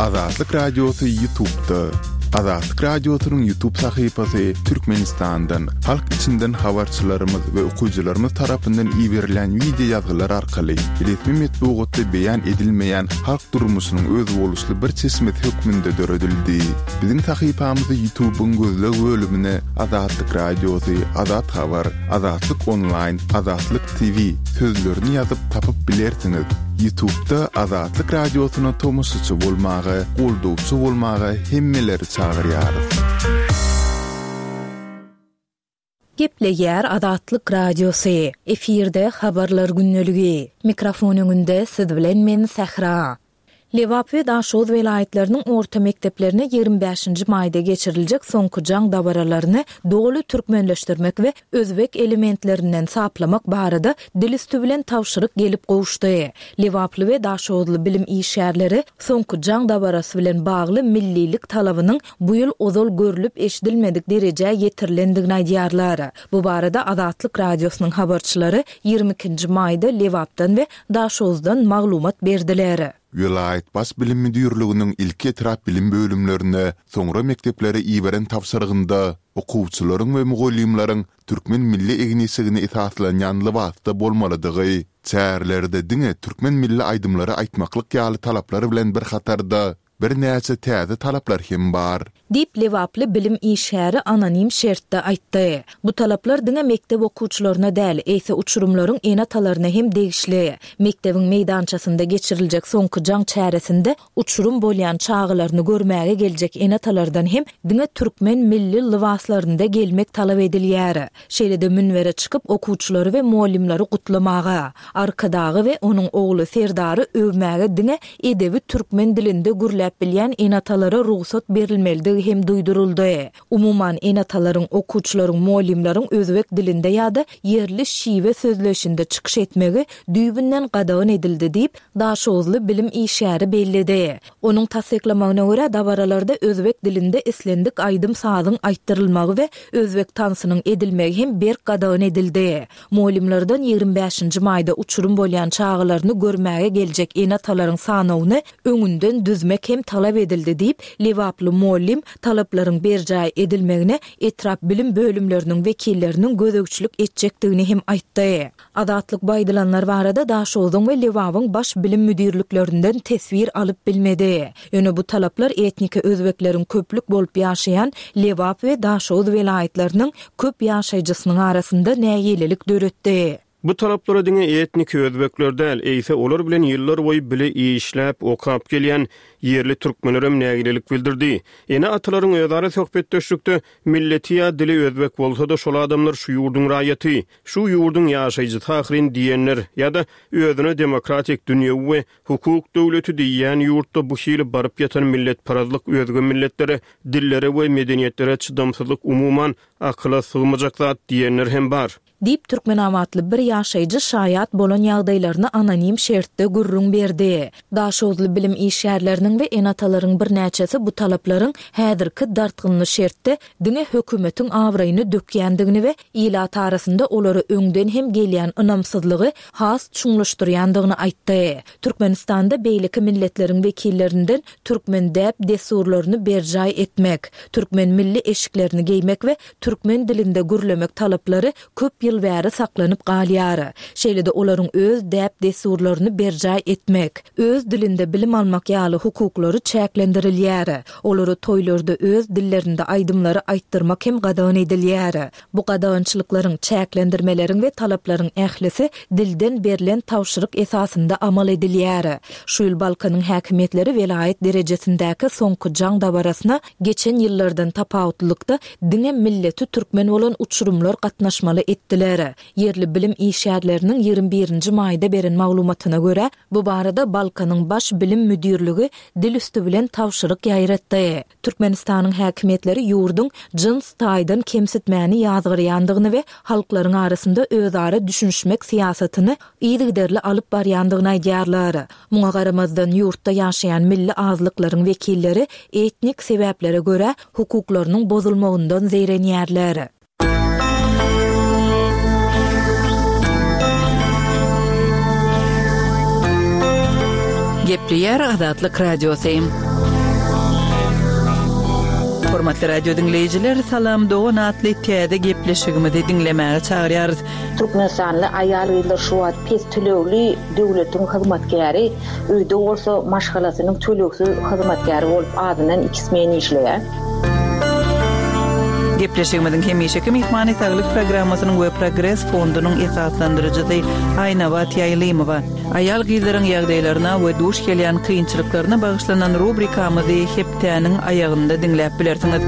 Azatlyk Radiosy Ýutubda. Azatlyk Radiosynyň Ýutub sahypasy Türkmenistandan, halk içinden habarçylarymyz we okyjylarymyz tarapyndan iberilen wideo ýazgylar arkaly resmi metbugatda beýan edilmeýän halk durmuşynyň özboluşly bir çeşmesi hökmünde döredildi. Biziň sahypamyzy Ýutubyň gözleg bölümine Azatlyk Radiosy, Azat Habar, Azatlyk Onlaýn, Azatlyk TV sözlerini ýazyp tapyp bilersiňiz. Ýutubda Azatlyk Radiosyna tomaşaçy bolmaga, goldawçy bolmaga hemmeleri çagyrýarys. Gepleýär Azatlyk Radiosy, efirde Habarlar gündeligi. Mikrofon öňünde siz bilen men Sähra. Lebap we Daşoguz welaýatlarynyň orta mekdeplerine 25-nji maýda geçiriljek Soňky jaň dabaralaryny doly türkmenleşdirmek we özbek elementlerinden saplamak barada dil üsti bilen tabşyryk gelip gowuşdy. Lebaply we daşoguzly bilim işgärleri Soňky jaň dabarasy bilen bagly millilik talabynyň bu ýyl ozal görlüp-eşidilmedik derejä ýetirilendigini aýdýarlar. Bu barada Azatlyk Radiosynyň habarçylary 22-nji maýda Lebapdan we Daşoguzdan maglumat berdiler. Welaýat Baş bilim müdirliginiň ilki etrap bilim bölümlerine, soňra mekdeplere iberen tabşyrygynda okuwçylaryň we mugallymlaryň türkmen milli egin-eşigine esaslanýan lybasda bolmalydygy, çärelerde diňe türkmen milli aýdymlary aýtmaklyk ýaly talaplar bilen bir hatarda, Birnäçe täze talaplar hem bar. Diýip, lebaply bilim işgäri anonim şertde aýtdy. Bu talaplar diňe mekdep okuwçylaryna däl, eýse uçurymlaryň ene-atalaryna hem degişli. Mekdebiň meýdançasynda geçiriljek Soňky jaň çäresinde uçurym bolýan çagalaryny görmäge geljek ene-atalardan hem diňe türkmen milli lybaslarynda gelmek talap edilýär. Şeýle-de münbere çykyp okuwçylary we mugallymlary gutlamaga, Arkadagy we onuň ogly Serdary öwmäge diňe edebi türkmen dilinde gürläp bilýän ene-atalara rugsat berilmelidigi hem duýduryldy. Umuman, ene-atalaryň, okuwçylaryň, mugallymlaryň özbek dilinde ýa-da ýerli şiwe sözleýşinde çykyş etmegi düýbünden gadagan edildi diýip, daşoguzly bilim işgäri belledi. Onuň tassyklamagyna görä, dabaralarda özbek dilinde islendik aýdym-sazyň aýtdyrylmagy we özbek tansynyň edilmegi hem berk gadagan edildi. Mugallymlardan 25-nji maýda uçurym bolýan çagalaryny görmäge geljek ene-atalaryň sanawyny öňünden düzmek hem talap edildi diýip, lebaply mugallym talaplaryň berjaý edilmegine etrap bilim bölümleriniň wekilleriniň gözegçilik etjekdigini hem aýtdy. Azatlyk bu aýdylanlar barada Daşogzuň we Lebabyň baş bilim müdirliklerinden teswir alyp bilmedi. Ýöne bu talaplar etniki özbekleriň köplük bolup ýaşaýan Lebap we Daşoguz welaýatlarynyň köp ýaşaýjysynyň arasynda nägilelik döretdi. Bu talaplara diňe etniki özbekler däl, eýse olar bilen ýyllarboýy bile işläp, okap gelýän ýerli türkmenlerem nägilelik bildirdi. Ene-atalaryň özara söhbetdeşlikde milleti ýa dili özbek bolsa-da şol adamlar şu ýurduň raýaty, Şu ýurduň ýaşaýjysy ahyryn diýenler ýa-da özüne demokratik, dünýewi we hukuk döwleti diýýän ýurtda bu hili baryp ýatan milletparazlyk özge milletlere, dillere we medeniýetlere çydamsyzlyk umuman akyla sygmajak zat diýenler hem bar. Diýip, türkmenabatly bir ýaşaýjy şaýat bolan ýagdaýlaryny anonim şertde gürrüň berdi. Daşoguzly bilim işgärleriniň we ene-atalaryň birnäçesi bu talaplaryň häzirki dartgynly şertde diňe hökümetiň abraýyny dökýändigini we ilat arasynda olara öňden hem gelýän ynamsyzlygy has çuňlaşdyrýandygyny aýtdy. Türkmenistanda beýleki milletleriň wekillerinden türkmen däp-dessurlaryny berjaý etmek, türkmen milli eşiklerini geýmek we türkmen dilinde gürlemek talaplary köp ýyl bäri saklanyp galýar. Şeýle-de olaryň öz däp-dessurlaryny berjaý etmek, öz dilinde bilim almak ýaly hukuklary çäklendirilýär. Olara toýlarda öz dillerinde aýdymlary aýtdyrmak hem gadagan edilýär. Bu gadagançylyklaryň, çäklendirmeleriň we talaplaryň ählisi dilden berlen tabşyryk esasynda amal edilýär. Şu ýyl Balkanyň häkimiýetleri welaýat derejesindäki Soňky jaň dabarasyna geçen ýyllardan tapawutlylykda diňe milleti türkmen bolan uçurymlar gatnaşmaly etdiler. Ýerli bilim işgärleriniň 21-nji maýda beren maglumatyna görä, bu barada Balkanyň Baş bilim müdirligi dil üsti bilen tabşyryk ýaýratdy. Türkmenistanyň häkimiýetleri ýurduň jyns taýdan kemsitmäni ýazgarýandygyny we halklaryň arasynda özara düşünişmek syýasatyny yzygiderli alyp barýandygyny aýdýarlar. Muňa garamazdan, ýurtda ýaşaýan milli azlyklaryň wekilleri etnik sebäplere görä hukuklarynyň bozulmagyndan zeýrenýärler. Gepleýär Azatlyk Radiosy. Hormatly radio diňleýjiler, Salam dogan atly täze gepleşigimizi diňlemäge çagyrýarys. Türkmenistanly aýal-gyzlar şu wagt pes tölegli döwletiň hyzmatkäri, öýde bolsa maşgalasynyň tölegsiz hyzmatkäri bolup azyndan iki smen işleýär. Gepleşigimiziň hemişeki myhmany Saglyk programmasynyň we Progres fondunyň esaslandyryjysy Aýnabat Ýaýlymowa. Aýal-gyzlaryň ýagdaýlaryna we duş gelýän kynçylyklaryna bagyşlanan rubrikamyzy hepdäniň aýagynda diňläp bilersiňiz.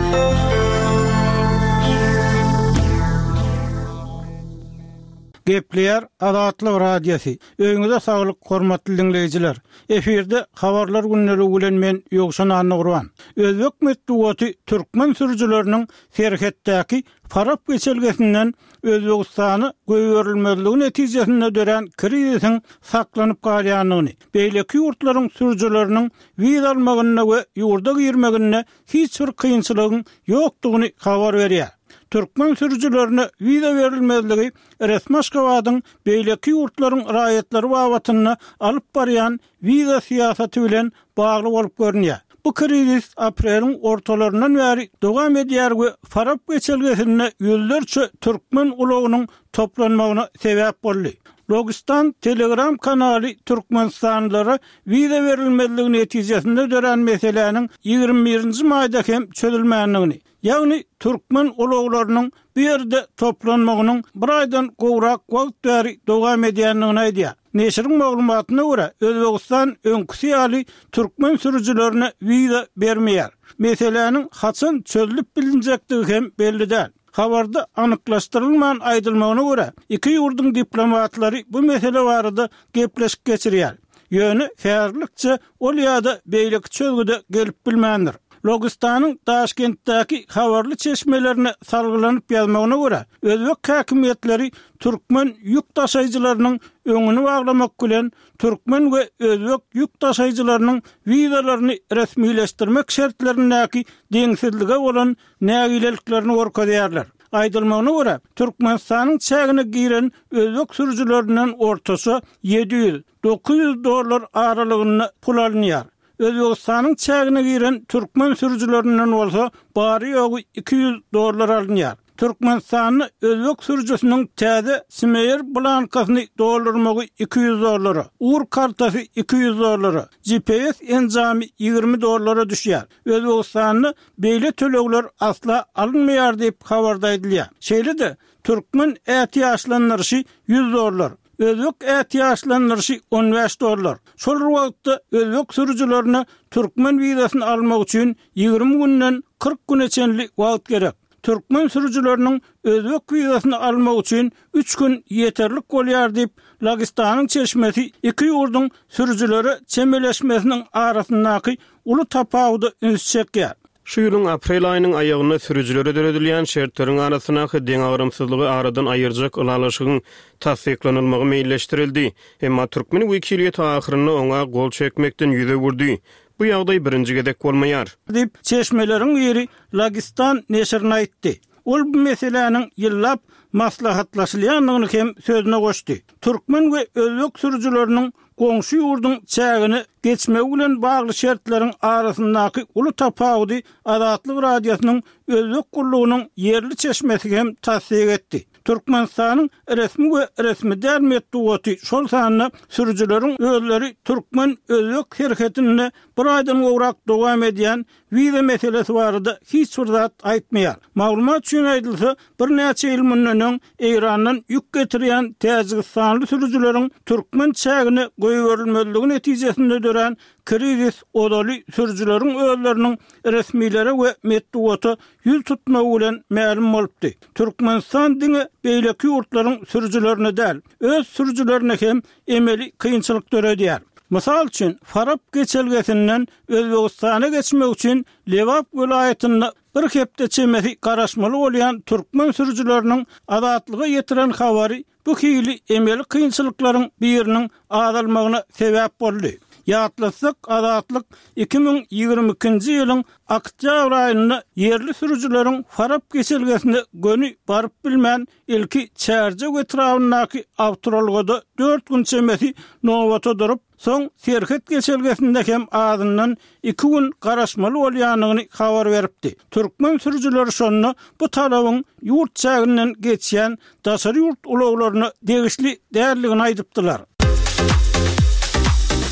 Gepleýär Azatlyk Radiosy. Öýüňize saglyk hormatly diňleýjiler. Efirde Habarlar gündeligi bilen men Ýowşan Annagurban. Özbek metbugaty türkmen sürüjileriniň serhetdäki Farap geçelgesinden Özbegistana goýberilmezligi netijesinde dörän krizisiň saklanyp galýandygyny, beýleki ýurtlaryň sürüjileriniň wiza almagynda we ýurda girmeginde hiç bir kynçylygyň ýokdugyny habar berýär. Türkmen sürüjilerine wiza berilmezligi resmi Aşgabadyň beýleki ýurtlaryň raýatlary babatynda alyp barýan wiza syýasaty bilen bagly bolup görünýär. Bu krizis apreliň ortalaryndan bäri dowam edýär we Farap geçelgesinde ýüzlerçe türkmen ulagynyň toplanmagyna sebäp boldy. Logistan Telegram kanaly türkmenistanlylara wiza berilmezligi netijesinde dörän meseläniň 21 nji maýda hem çözülmändigini, Ýagny türkmen ulaglarynyň bu ýerde toplanmagynyň bir aýdan gowrak wagt bäri dowam edýändigini aýdýar. Neşiriň maglumatyna görä, Özbegistan öňküsi ýaly türkmen sürüjilerine wiza bermeýär. Meseläniň haçan çözlüp bilinjekdigi hem belli däl. Habarda anyklaşdyrylman aýdylmagyna görä, iki ýurduň diplomatlary bu mesele barada gepleşik geçirýär. Ýöne häzirlikçe ol ýa-da beýleki çözgüde gelip bilmändir. Logistanyň Daşkentdäki habarly çeşmelerine salgylanyp ýazmagyna görä, özbek häkimiýetleri türkmen ýük daşaýjylarynyň öňüni baglamak bilen, türkmen we özbek ýük daşaýjylarynyň wizalaryny resmileşdirmek şertlerindäki deňsizlige bolan nägileliklerini görkezýärler. Aýdylmagyna görä, Türkmenistanyň çägine giren özbek sürüjilerinden ortaça 700, 900 dollar aralygynda pul alynýar. Özbegistanyň çägine giren türkmen sürüjilerinden bolsa bary-ýogy 200 dollar alynýar. Türkmenistanda özbek sürüjisiniň täze Smeýer blankasyny doldurmagy 200 dollara, ur kartasy 200 dollara, GPS enjamy 20 dollara düşýär. Özbegistanda beýle tölegler asla alynmaýar diýip, habarda aýdylýar. Şeýle-de, türkmen ätiýaçlandyryşy ýüz dollar, özbek ätiýaçlandyryşy on bäş dollar. Şol bir wagtda, özbek sürüjilerine türkmen wizasyny almak üçin ýigrimi günden 40 güne çenli wagt gerek. Türkmen sürüjileriniň özbek wizasyny almak üçin üç gün ýeterlik bolýar diýip, Lagistanyň çeşmesi iki ýurduň sürüjilere çemeleşmesiniň arasyndaky uly tapawuda üns çekýär. Şu ýylyň aprel aýynyň aýagynda sürüjilere döredilýän şertleriň arasyndaky deňagramsyzlygy aradan aýyrjak ylalaşygyň tassyklanylmagy meýilleşdirildi. Emma türkmen wekiliýeti ahyrynda oňa gol çekmekden ýüz öwürdi. Bu ýagdaý birinji gezek bolmaýar. Diýip, çeşmeleriň biri Lagistan neşirine aýtdy. Ol bu meseläniň ýyllap maslahatlaşylýandygyny hem sözüne goşdy. Türkmen we özbek sürüjileriniň goňşy ýurduň çägine geçmegi bilen bagly şertleriň arasyndaky uly tapawudy Azatlyk Radiosynyň Özbek gullugynyň ýerli çeşmesi hem tassyk etdi. Türkmenistanyň resmi we resmi däl metbugaty, şol sanda sürüjileriň özleri türkmen-özbek serhedinde bir aýdan gowrak dowam edýän wiza meselesi barada hiç bir zat aýtmaýar. Maglumat üçin aýdylsa, birnäçe ýyl mundan öň Eýrandan ýük getirýän täjigistanly sürüjileriň türkmen çägine goýberilmezligi netijesinde dörän krizis ozaly sürüjileriň özleriniň resmilere we metbugata ýüz tutmagy bilen mälim bolupdy. Türkmenistan diňe beýleki ýurtlaryň sürüjilerine däl, öz sürüjilerine hem emeli kynçylyk döredýär. Mysal üçin, Farap geçelgesinden Özbegistana geçmek üçin Lebap welaýatynda bir hepde çemesi garaşmaly bolýan türkmen sürüjileriniň Azatlyga ýetiren habary bu hili emeli kynçylyklaryň biriniň azalmagyna sebäp boldy. Ýatlatsak, Azatlyk 2022-nji ýylyň oktýabr aýynda ýerli sürüjileriň Farap geçelgesine göni baryp bilmän, ilki Çärjew etrabyndaky awtoulagda dört gün çemesi nobata durup, soň serhet geçelgesinde hem azyndan iki gün garaşmaly bolýandygyny habar beripdi. Türkmen sürüjileri şonda bu talabyň ýurt çäginden geçýän daşary ýurt ulaglaryna degişli däldigini aýdypdylar.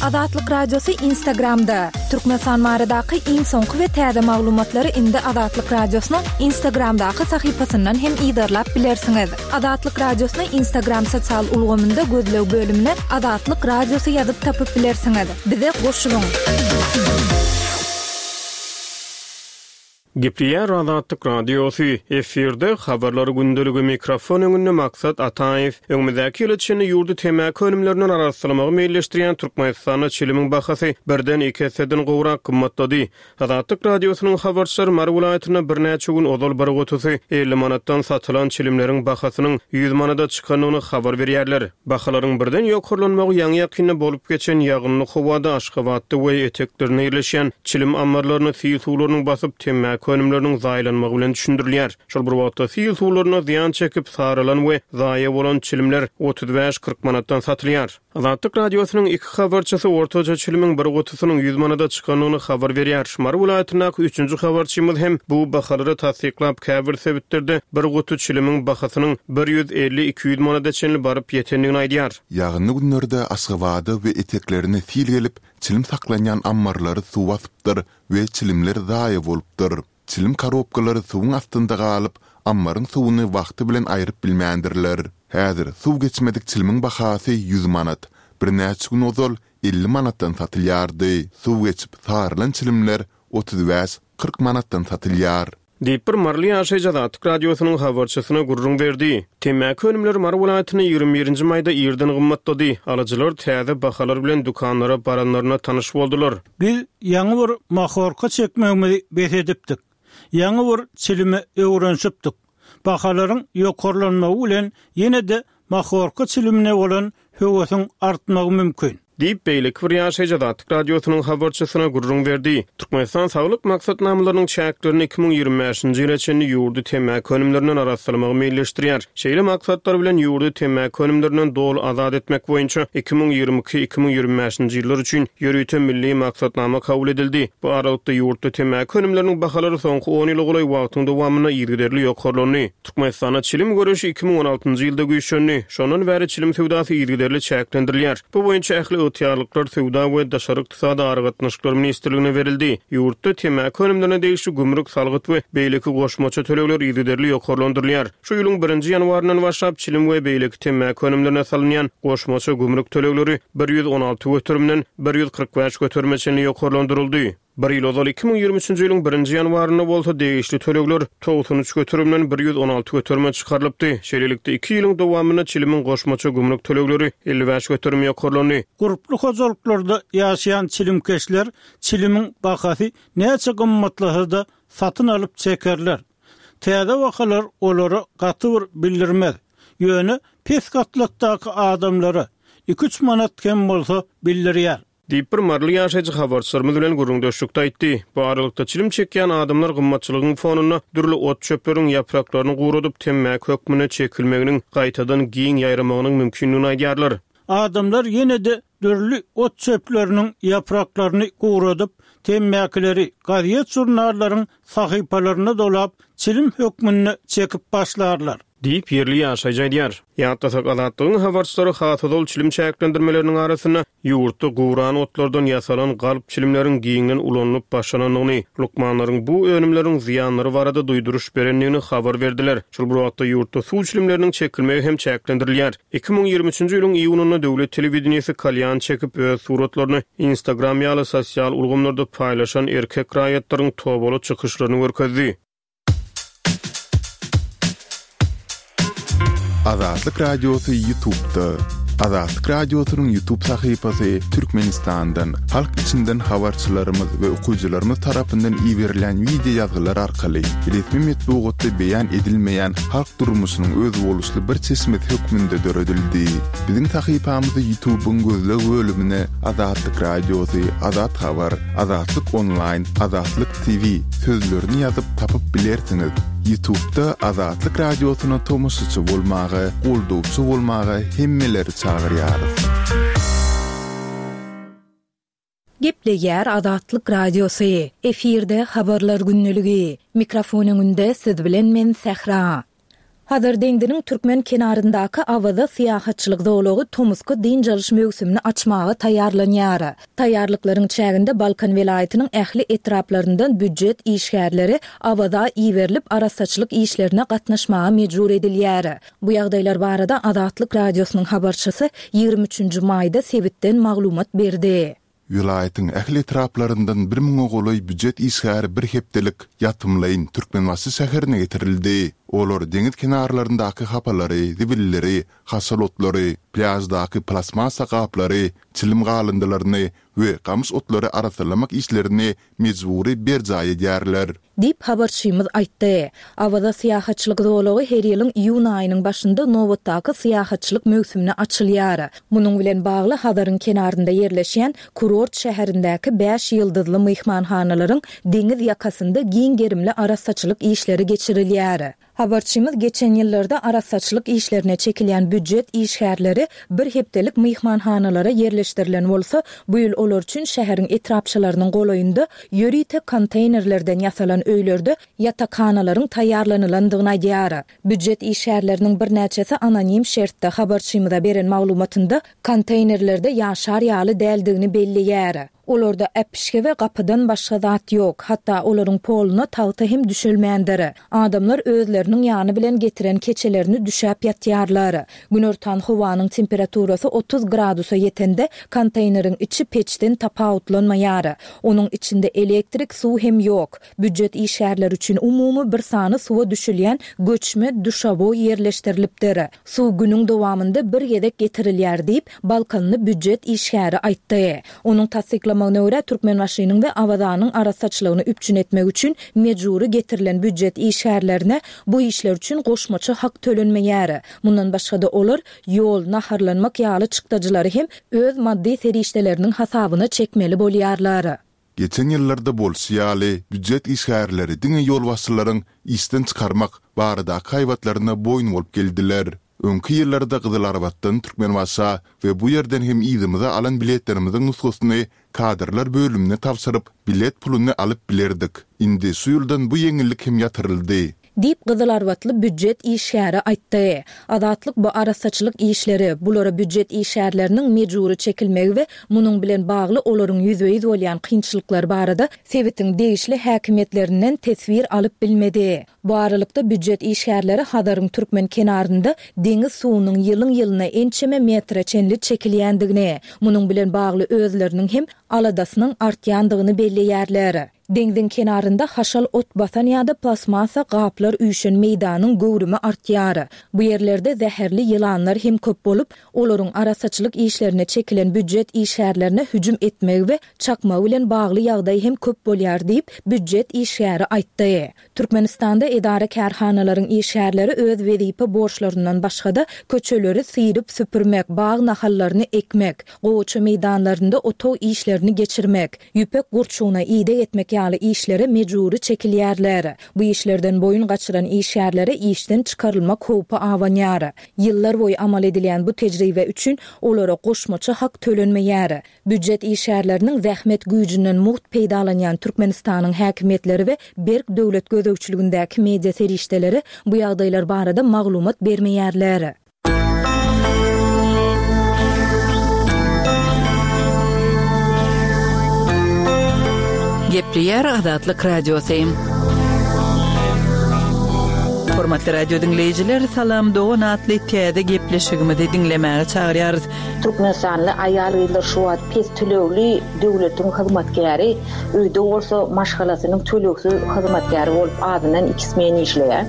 Azatlyk Radiosy Instagramda, Türkmenistan baradaky iň soňky we täze maglumatlary indi Azatlyk Radiosynyň Instagramdaky sahypasyndan hem yzarlap bilersiňiz. Azatlyk Radiosyny Instagram sosial ulgamynda gözleg bölümine Azatlyk Radiosy ýazyp tapyp bilersiňiz. Bize goşulyň! Gepleýär Azatlyk Radiosy, efirde Habarlar gündeligi, mikrofon öňünde Maksat Ataýew. Öňümizdäki ýyla çenli ýurdy temmäki önümlerinden arassalamagy meýilleşdirýän Türkmenistanda çilimiň bahasy birden iki esseden gowrak gymmatlady. Azatlyk Radiosynyň habarçylary Mary welaýatynda birnäçe gün ozal bir gutusy 50 manatdan satylan çilimleriň bahasynyň 100 manada çykandygyny habar berýärler. Bahalaryň birden ýokarlanmagy ýaňy-ýakynda bolup geçen ýagynly howada Aşgabatda we eteklerinde ýerleşýän çilim ammarlaryny sil suwlarynyň basyp, temmäki önümleriniň zaýalanmagy bilen düşündirilýär. Şol bir wagtda, sil suwlarynda zyýan çekip, saralan we zaýa bolan çilimler 35-40 manatdan satylýar. Azatlyk Radiosynyň iki habarçysy ortaça çilimiň bir gutusynyň 100 manada çykandygyny habar berýär. Mary welaýatyndaky üçünji habarçymyz hem bu bahalary tassyklap, käbir sebitlerde bir guty çilimiň bahasynyň 150-200 manada çenli baryp ýetendigini aýdýar. Ýagynly günlerde Aşgabada we eteklerine sil gelip, çilim saklanýan ammarlary suw basypdyr we çilimler zaýa bolupdyr. Çilim korobkalary suwuň astynda galyp, ammaryň suwuny wagty bilen aýryp bilmändirler. Häzir suw geçmedik çilimiň bahasy 100 manat. Birnäçe gün ozal 50 manatdan satylýardy. Suw geçip, sarylan çilimler 35, 40 manatdan satylýar. Diýip, bir maryly ýaşaýjy Azatlyk Radiosynyň habarçysyna gürrüň berdi. Temmäki önümleri Mary welaýatynda 21 nji maýda irden gymmatlady. Alyjylar täze bahalar bilen dükanlara baranlarynda tanyş boldular. Biz ýaňy bir mahorka çekmegimizi bes edipdik. Ýaňy bir çilime öwrenişipdik. Bahalaryň ýokarlanmagy bilen ýene-de mahorka çilimine bolan höwesiň artmagy mümkin. Diýip, beýleki bir ýaşaýjy Azatlyk Radiosynyň habarçysyna gürrüň berdi. Türkmenistan saglyk maksatnamalarynyň çäklerinde 2025-nji ýyla çenli ýurdy temmäki önümlerinden arassalamagy meýilleşdirýär. Şeýle maksatlar bilen ýurdy temmäki önümlerinden doly azat etmek boýunça 2022, 2025-nji ýyllar üçin ýörite milli maksatnama kabul edildi. Bu aralykda ýurtda temmäki önümleriniň bahalary soňky on ýyla golaý wagtyň dowamynda yzygiderli ýokarlandy. Türkmenistanda çilim göreşi 2016-njy ýylda güýçlendi. Şondan bäri çilim söwdasy yzygiderli çäklendirilýär. Bu boýunça ähli ygtyýarlyklar Söwda we daşary ykdysady aragatnaşyklar ministrligine berildi. Ýurtda temmäki önümlerine degişli gümrük, salgyt we beýleki goşmaça tölegler yzygiderli ýokarlandyrylýar. Şu ýylyň birinji ýanwaryndan başlap çilim we beýleki temmäki önümlerine salynýan goşmaça gümrük tölegleri 116 göterimden 145 göterime çenli ýokarlandyryldy. Bir ýyl ozal, 2023-nji ýylyň birinji ýanwarynda bolsa degişli tölegler 93 göterimden 116 göterime çykarylypdy. Şeýlelikde, iki ýylyň dowamynda çilimiň goşmaça gümrük tölegleri 55 göterim ýokarlandy. Gurply hojalyklarda ýaşaýan çilimkeşler çilimiň bahasy näçe gymmatlasa-da satyn alyp çekerler. Täze bahalar olara gaty bir bildirmez. Ýöne pes gatlakdaky adamlara iki-üç manat hem bolsa bildirýär. Diýip, bir maryly ýaşaýjy habarçylarymyz bilen gürrüňdeşlikde aýtdy. Bu aralykda, çilim çekýän adamlar gymmatçylygyň fonunda dürli ot-çöpleriň ýapraklaryny guradyp, temmäki hökmünde çekilmeginiň gaýtadan giň ýaýramagynyň mümkindigini aýdýarlar. Adamlar ýene-de dürli ot-çöpleriniň ýapraklaryny guradyp, temmäkileri gazet-žurnallaryň sahypalaryna dolap, çilim hökmünde çekip başlarlar. Diýip, ýerli ýaşaýjy aýdýar. Ýatlasak, Azatlygyň habarçylary has ozal çilim çäklendirmeleriniň arasynda ýurtda guran otlardan ýasalan galp çilimleriň giňden ulanylyp başlanandygyny, lukmanlaryň bu önümleriň zyýanlary barada duýduryş berendigini habar berdiler. Şol bir wagtda, ýurtda suw çilimleriniň çekilmegi hem çäklendirilýär. 2023-nji ýylyň iýunynda döwlet telewideniýesi kalýan çekip, öz suratlaryny Instagram ýaly sosial ulgamlarda paýlaşan erkek raýatlaryň tobaly çykyşlaryny görkezdi. Azatlyk Radiosy Ýutubda. Azatlyk Radiosynyň YouTube sahypasy Türkmenistandan, halk içinden habarçylarymyz we okyjylarymyz tarapyndan iberilýän wideo ýazgylar arkaly resmi metbugatda beýan edilmeýän halk durmuşynyň özboluşly bir çeşmesi hökmünde döredildi. Biziň sahypamyzy YouTube-yň gözleg bölümine Azatlyk Radiosy, Azat Habar, Azatlyk Onlaýn, Azatlyk TV sözlerini ýazyp tapyp bilersiňiz. Ýutubda Azatlyk Radiosyna tomaşaçy bolmaga, goldawçy bolmaga hemmeleri çagyrýarys. Gepleýär Azatlyk Radiosy, efirde Habarlar gündeligi. Mikrofon öňünde siz bilen men Sähra. Hazar deňziniň türkmen kenaryndaky Awaza syýahatçylyk zolagy tomusky dynç alyş möwsümini açmaga taýýarlanýar. Taýýarlyklaryň çäginde Balkan welaýatynyň ähli etraplaryndan býujet işgärleri Awaza iberilip, arassaçylyk işlerine gatnaşmaga mejbur edilýär. Bu ýagdaýlar barada Azatlyk Radiosynyň habarçysy 23 nji maýda sebitden maglumat berdi. Welaýatyň ähli etraplaryndan bir müňe golaý býujet işgäri bir hepdelik ýatymlaýyn Türkmenbaşy şäherine getirildi. Olar deňiz kenarlaryndaky hapalary, zibilleri, haşal otlary, plýaždaky plastmassa gaplary, çilim galyndylaryny we gamyş otlary arassalamak işlerini mejbury berjaý edýärler. Diýip, habarçymyz aýtdy. Awaza syýahatçylyk zolagy her ýylyň iýun aýynyň başynda nobatdaky syýahatçylyk möwsümine açylýar. Munuň bilen bagly Hazaryň kenarynda ýerleşýän kurort şäherindäki bäş ýyldyzly myhmanhanalaryň deňiz ýakasynda giň gerimli arassaçylyk işleri geçirilýär. Habarçymyz geçen ýyllarda arassaçylyk işlerine çekilýän býujet işgärleri bir hepdelik myhmanhanalara ýerleşdirilen bolsa, bu ýyl olar üçin şäheriň etrapçalarynyň golaýynda ýörite konteýnerlerden ýasalan öýlerde ýatakhanalaryň taýýarlanylandygyny aýdýar. Býujet işgärleriniň birnäçesi anonim şertde habarçymyza beren maglumatynda konteýnerlerde ýaşar ýaly däldigini belleýär. Olarda äpişge we gapydan başga zat ýok, hatda olaryň poluna tagta hem düşelmändir. Adamlar özleriniň ýany bilen getiren keçelerini düşäp ýatýarlar. Günortan howanyň temperaturasy 30 gradusa ýetende, konteýneriň içi peçden tapawutlanmaýar. Onuň içinde elektrik, suw hem ýok. Býujet işgärleri üçin umumy bir sany suwa düşülýän göçme duşawoý ýerleşdirilipdir. Suw günüň dowamynda bir gezek getirilýär diýip, balkanly býujet işgäri aýtdy. Onuň tassyklamagyna görä, Türkmenbaşynyň we Awazanyň arassaçylygyny üpjün etmek üçin mejbury getirilen býujet işgärlerine bu işler üçin goşmaça hak tölenmeýär. Mundan başga-da, olar ýol, naharlanmak ýaly çykdajylary hem öz maddy serişdeleriniň hasabyna çekmeli bolýarlar. Geçen ýyllarda bolşy ýaly, býujet işgärleri diňe ýolbaşçylaryň işden çykarmak baradaky haýbatlaryna boýun bolup geldiler. Öňki ýyllarda Gyzylarbatdan Türkmenbaşa we bu ýerden hem yzymyza alan biletlerimiziň nusgasyny kadrlar bölümine tabşyryp, bilet puluny alyp bilerdik. Indi şu ýyldan bu ýeňillik hem ýatyryldy. Diýip, gyzylarbatly býujet işgäri aýtdy. Azatlyk bu arassaçylyk işleri, bulara býujet işgärleriniň mejbury çekilmegi we munuň bilen bagly olaryň ýüzbe-ýüz bolýan kynçylyklary barada sebitiň degişli häkimiýetlerinden teswir alyp bilmedi. Bu aralykda, býujet işgärleri Hazaryň türkmen kenarynda deňiz suwunyň ýylyň-ýylyna ençeme metre çenli çekilýändigini, munuň bilen bagly özleriniň hem aladasynyň artýandygyny belleýärler. Deňziň kenarynda haşal ot basan ýa-da plastmassa gaplar üýşen meýdanyň göwrümi artýar. Bu ýerlerde zäherli ýylanlar hem köp bolup, olaryň arassaçylyk işlerine çekilen býujet işgärlerine hüjüm etmegi we çakmagy bilen bagly ýagdaý hem köp bolýar diýip, býujet işgäri aýtdy. Türkmenistanda edara-kärhanalaryň işgärleri öz wezipe borçlaryndan başga-da, köçeleri syryp-süpürmek, bag nahallaryny ekmek, gowaça meýdanlarynda otag işlerini geçirmek, ýüpek gurçugyna ideg etmek ýaly işlere mejbury çekilýärler. Bu işlerden boýun gaçyran işgärlere işden çykarylmak howpy abanýar. Ýyllar boýy amal edilýän bu tejribe üçin olara goşmaça hak tölenmeýär. Býujet işgärleriniň zähmet güýjünden mugt peýdalanýan Türkmenistanyň häkimiýetleri we berk döwlet gözegçiligindäki media serişdeleri bu ýagdaýlar barada maglumat bermeýärler. Gepleýär Azatlyk Radiosy. Hormatly radio diňleýjiler, Salam dogan atly täze gepleşigimizi diňlemäge çagyrýarys. Türkmenistanly aýal-gyzlar şu wagt pes tölegli döwletiň hyzmatkäri, öýde bolsa maşgalasynyň tölegsiz hyzmatkäri bolup azyndan iki smen işleýär.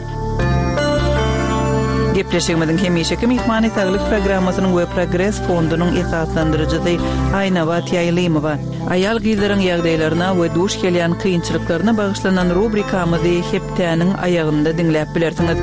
Gepleşigimiziň hemişeki myhmany Saglyk programmasynyň we Progres fondunyň esaslandyryjysy Aýnabat Ýaýlymowa. Aýal-gyzlaryň ýagdaýlaryna we duş gelýän kynçylyklaryna bagyşlanan rubrikamyzy hepdäniň aýagynda diňläp bilersiňiz.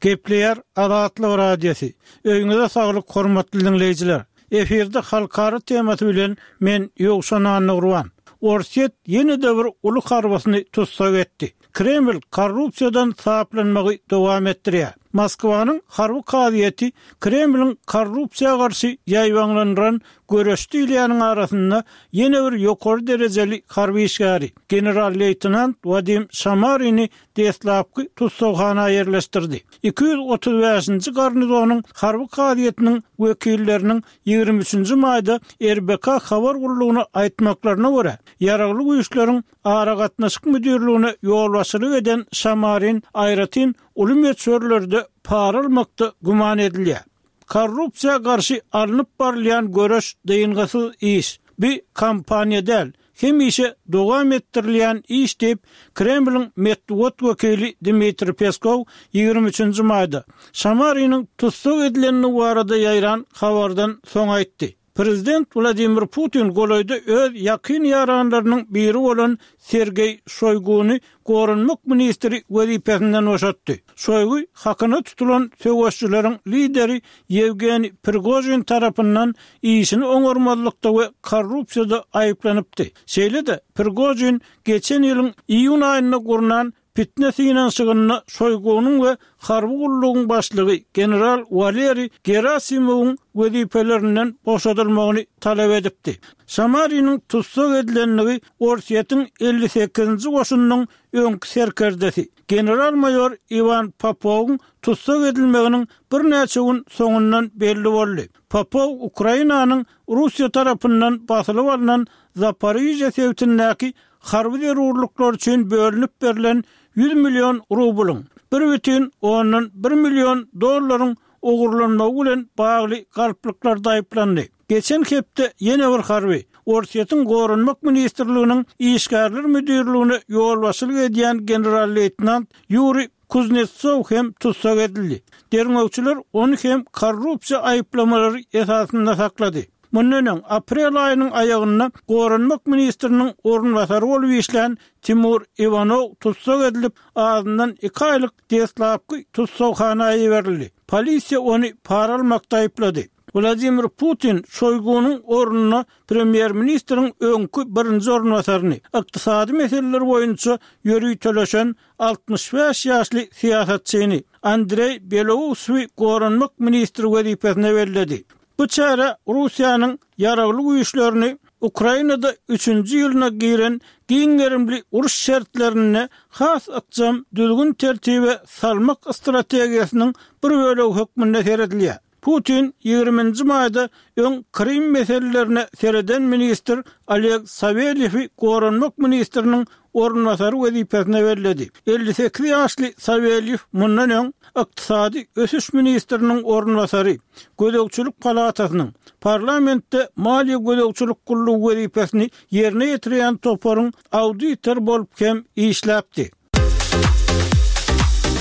Gepleýär Azatlyk Radiosy. Öýüňize saglyk hormatly diňleýjiler. Efirde halkara temasy bilen men Ýowşan Annagurban. Orsýet ýene-de bir uly harbysyny tussag etdi. Kreml korrupsiýadan saplanmagy dowam etdirýär. Moskwanyň harby kazyýeti Kremliň korrupsiýa garşy ýaýbaňlandyran göreş diýilýäniň arasynda ýene bir ýokary derejeli harby işgäri, general-leýtenant Wadim Şamarini deslapky tussaghana ýerleşdirdi. 235-nji garnizonyň harby kazyýetiniň wekilleriniň 23-nji maýda RBK habar gullugyna aýtmaklaryna görä, Ýaragly Güýçleriň Aragatnaşyk müdirligine ýolbaşçylyk eden Şamarin aýratyn uly möçberlerde para almakda güman edilýär. Korrupsiýa garşy alnyp barylýan göreş dyngysyz iş. Bu kampaniýa däl, hemişe dowam etdirilýän iş diýip, Kremliň metbugat wekili Dmitriý Peskow 23 nji maýda, Şamariniň tussag edilendigi barada ýaýran habardan soň aýtdy. Prezident Wladimir Putin golaýda öz ýakyn ýaranlarynyň biri bolan Sergeý Şoýguny goranmak ministri wezipesinden boşatdy. Şoýgu hakyna tutulan söweşijileriň lideri Ýewgeniý Prigožin tarapyndan işini oňarmazlykda we korrupsiýada aýyplanypdy. Şeýle-de, Prigožin geçen ýylyň iýun aýynda gurnan Pitne synanyşygynda Şoýgunyň we harby gullugyň başlygy general Waleriý Gerasimowyň wezipelerinden boşadylmagyny talap edipdi. Samariniň tussag edilendigi Orsýetiň 58-nji goşunynyň öňki serkerdesi, general-maýor Iwan Popowyň tussag edilmeginiň birnäçe gün soňundan belli boldy. Popow Ukrainanyň Russiýa tarapyndan basylyp alnan Zaporižýa sebitindäki harby zerurlyklar üçin bölünip berlen 100 million rublyň, 1,1 million dollaryň ogurlanmagy bilen bagly galplyklarda aýyplandy. Geçen hepde ýene bir harby, Orsýetiň Goranmak ministrliginiň Işgärler müdirligine ýolbaşçylyk edýän general-leýtenant Ýuriý Kuznetsow hem tussag edildi. Derňewçiler ony hem korrupsiýa aýyplamalary esasynda saklady. Mundan öň, aprel aýynyň aýagynda goranmak ministriniň orunbasary bolup işlän Timur Iwanow tussag edilip, azyndan iki aýlyk deslapky tussaghana iberildi. Polisiýa ony para almakda aýyplady. Wladimir Putin Şoýgunyň ornuna premýer-ministriň öňki birinji orunbasaryny, ykdysady meseleler boýunça ýöriteleşen 65 ýaşly syýasatçyny, Andreý Belousowy goranmak ministri wezipesine belledi. Bu çäre Russiýanyň Ýaragly Güýçlerini Ukrainada üçünji ýylyna giren giň gerimli uruş şertlerinde has ykjam düzgün-tertibe salmak strategiýasynyň bir bölegi hökmünde seredilýär. Putin ýigriminji maýda öň Krym meselelerine sereden ministr Oleg Sawelýewi goranmak ministriniň orunbasary wezipesine belledi. 58 ýaşly Sawelýew mundan öň ykdysady ösüş ministriniň orunbasary, Gözegçilik palatasynyň, parlamentde maliýe gözegçilik gullugy wezipesini ýerine ýetirýän toparyň auditory bolup hem işläpdi.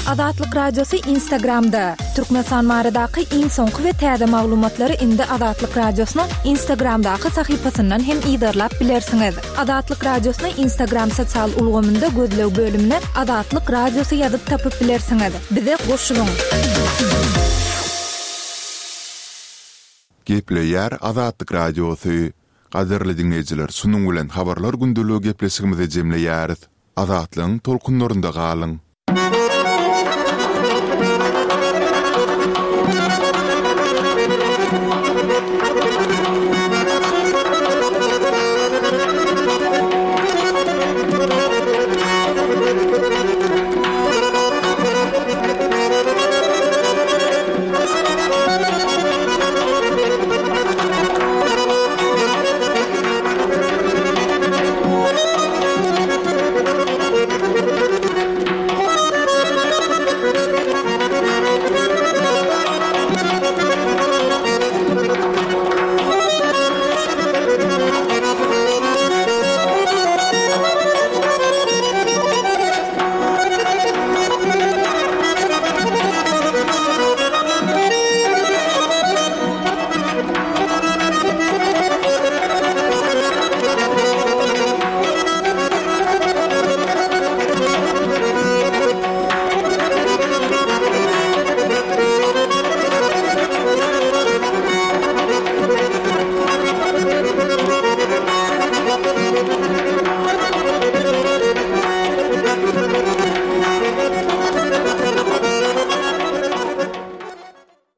Azatlyk Radiosy Instagramda, Türkmenistan baradaky iň soňky we täze maglumatlary indi Azatlyk Radiosynyň Instagramdaky sahypasyndan hem yzarlap bilersiňiz. Azatlyk Radiosyny Instagram sosial ulgamynda gözleg bölümine Azatlyk Radiosy ýazyp tapyp bilersiňiz. Bize goşulyň! Gepleýär Azatlyk Radiosy. Gadyrly diňleýjiler şunuň bilen Habarlar gündeligi gepleşigimizi jemleýäris. Azatlygyň tolkunlarynda galyň!